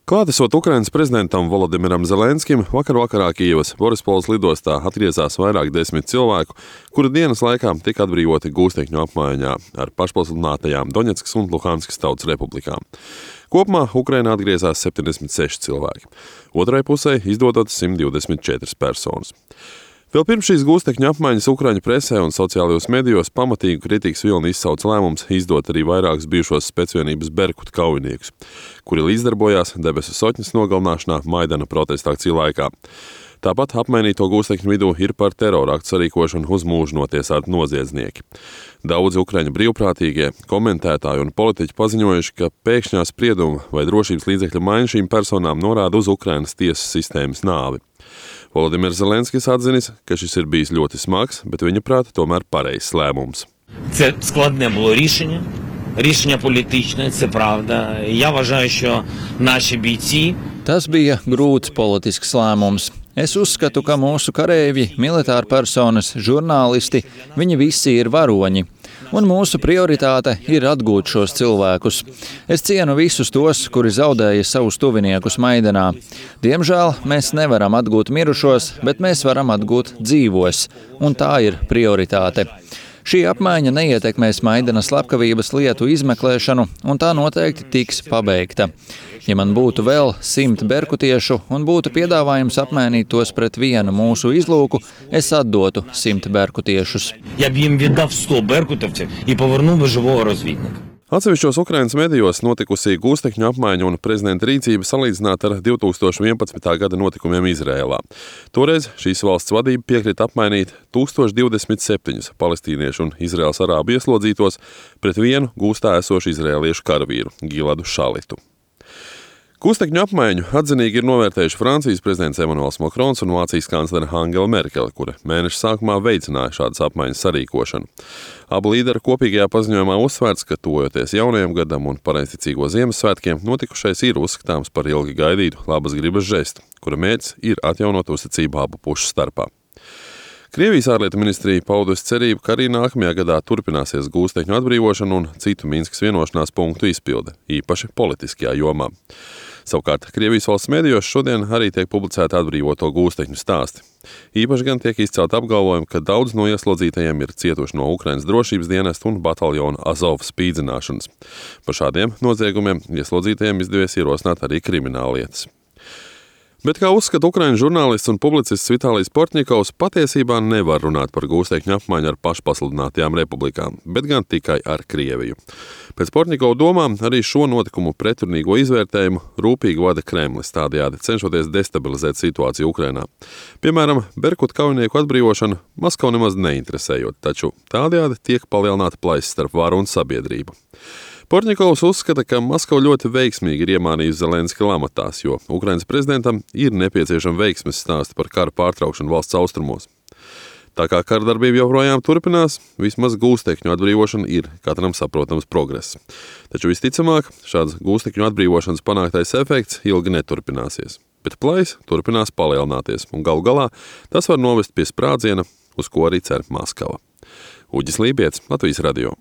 Klātesot Ukrainas prezidentam Volodimiram Zelenskim, vakarā Kijevas Borispols lidostā atgriezās vairāk desmit cilvēku, kuru dienas laikā tika atbrīvoti gūstekņu apmaiņā ar pašpasludinātajām Doņetskas un Luhanskas tautas republikām. Kopumā Ukrainā atgriezās 76 cilvēki, otrai pusē izdodot 124 personas. Vēl pirms šīs gūstekņu apmaiņas Ukraiņu presē un sociālajos medijos pamatīgu kritikas vilni izsauc lēmums izdot arī vairākus bijušos specvienības Berkut kaujiniekus, kuri līdzdarbojās debesu sotņas nogalināšanā Maidana protesta akciju laikā. Tāpat apmainīto gūstekņu vidū ir par teroraktu sarīkošanu uz mūžu notiesāti noziedznieki. Daudzi ukraiņu brīvprātīgie, komentētāji un politiķi paziņojuši, ka pēkšņā sprieduma vai drošības līdzekļu maiņa šīm personām norāda uz Ukrainas tiesas sistēmas nāvi. Volodimirs Zelenskis atzinis, ka šis ir bijis ļoti smags, bet viņa prāta tomēr pareizs lēmums. Це складне було рішення політичне, це правда. Я вважаю, що наші бійці... Tas bija grūts politisks lēmums. Es uzskatu, ka mūsu kareivji, militāri personas, žurnālisti, viņi visi ir varoņi. Un mūsu prioritāte ir atgūt šos cilvēkus. Es cienu visus tos, kuri zaudēja savus tuviniekus Maidanā. Diemžēl mēs nevaram atgūt mirušos, bet mēs varam atgūt dzīvos, un tā ir prioritāte. Šī apmaiņa neietekmēs Maidanas slepkavības lietu izmeklēšanu, un tā noteikti tiks pabeigta. Ja man būtu vēl 100 berkutiešu un būtu piedāvājums apmainīt tos pret vienu mūsu izlūku, es atdotu 100 berkutiešus. Я б їм віддав 100 беркутівців і повернув би живого розвідника. Atsevišķos Ukrainas medijos notikusī gūstekņu apmaiņa un prezidenta rīcība salīdzināta ar 2011. gada notikumiem Izrēlā. Toreiz šīs valsts vadība piekrita apmainīt 1027 palestīniešu un Izraēlas arābu ieslodzītos pret vienu gūstā esošu izrēliešu karavīru Giladu Šalitu. Gūstekņu apmaiņu atzinīgi ir novērtējuši Francijas prezidents Emmanuels Macrons un Vācijas kanclere Angela Merkele, kura mēneša sākumā veicināja šādas apmaiņas sarīkošanu. Abu līderu kopīgajā paziņojumā uzsvērts, ka tojoties jaunajam gadam un pareizticīgo Ziemassvētkiem, notikušais ir uzskatāms par ilgi gaidītu labas gribas žestu, kura mērķis ir atjaunot uzticību abu pušu starpā. Krievijas ārlietu ministrija paudusi cerību, ka arī nākamajā gadā turpināsies gūstekņu atbrīvošana un citu Minskas vienošanās punktu izpilde, īpaši politiskajā jomā. Savukārt, Krievijas valsts medijos šodien arī tiek publicēti atbrīvoto gūstekņu stāsti. Īpaši gan tiek izcelt apgalvojumi, ka daudz no ieslodzītajiem ir cietuši no Ukrainas drošības dienesta un bataljona Azov spīdzināšanas. Par šādiem noziegumiem ieslodzītajiem izdevies ierosināt arī krimināllietas. Bet, kā uzskata Ukraiņu žurnālists un publicists Vitālijs Portņikovs, patiesībā nevar runāt par gūstekņu apmaiņu ar pašpasludinātajām republikām, bet gan tikai ar Krieviju. Pēc Portņikova domām arī šo notikumu pretrunīgo izvērtējumu rūpīgi vada Kremlis, tādējādi cenšoties destabilizēt situāciju Ukrainā. Piemēram, Berkut kaujinieku atbrīvošana Maskavu nemaz neinteresējot, taču tādējādi tiek palielināta plaisa starp varu un sabiedrību. Portņikovs uzskata, ka Maskava ļoti veiksmīgi ir iemānījusi Zelenski amatās, jo Ukrainas prezidentam ir nepieciešama veiksmes stāsti par kara pārtraukšanu valsts austrumos. Tā kā karadarbība joprojām turpinās, vismaz gūstekņu atbrīvošana ir katram saprotams progress. Taču visticamāk, šāds gūstekņu atbrīvošanas panāktais efekts ilgi neturpināsies. Bet plaisa turpinās palielināties, un galu galā tas var novest pie sprādziena, uz ko arī cer Maskava. Uģis Lībietis, Latvijas radio.